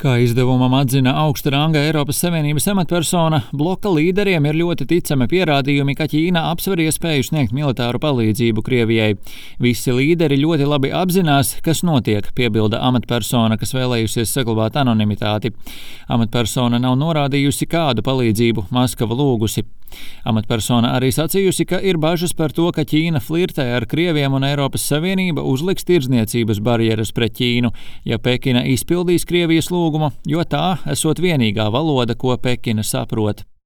Kā izdevumam atzina augsta ranga Eiropas Savienības amatpersona, bloka līderiem ir ļoti ticami pierādījumi, ka Ķīna apsver iespēju sniegt militāru palīdzību Krievijai. Visi līderi ļoti labi apzinās, kas notiek, piebilda amatpersona, kas vēlējusies saglabāt anonimitāti. Amatpersona nav norādījusi, kādu palīdzību Maskava lūgusi. Amatpersona arī sacījusi, ka ir bažas par to, ka Ķīna flirtē ar Krieviem un Eiropas Savienība uzliks tirdzniecības barjeras pret Ķīnu, ja Pekina izpildīs Krievijas lūgumu, jo tā esot vienīgā valoda, ko Pekina saprot.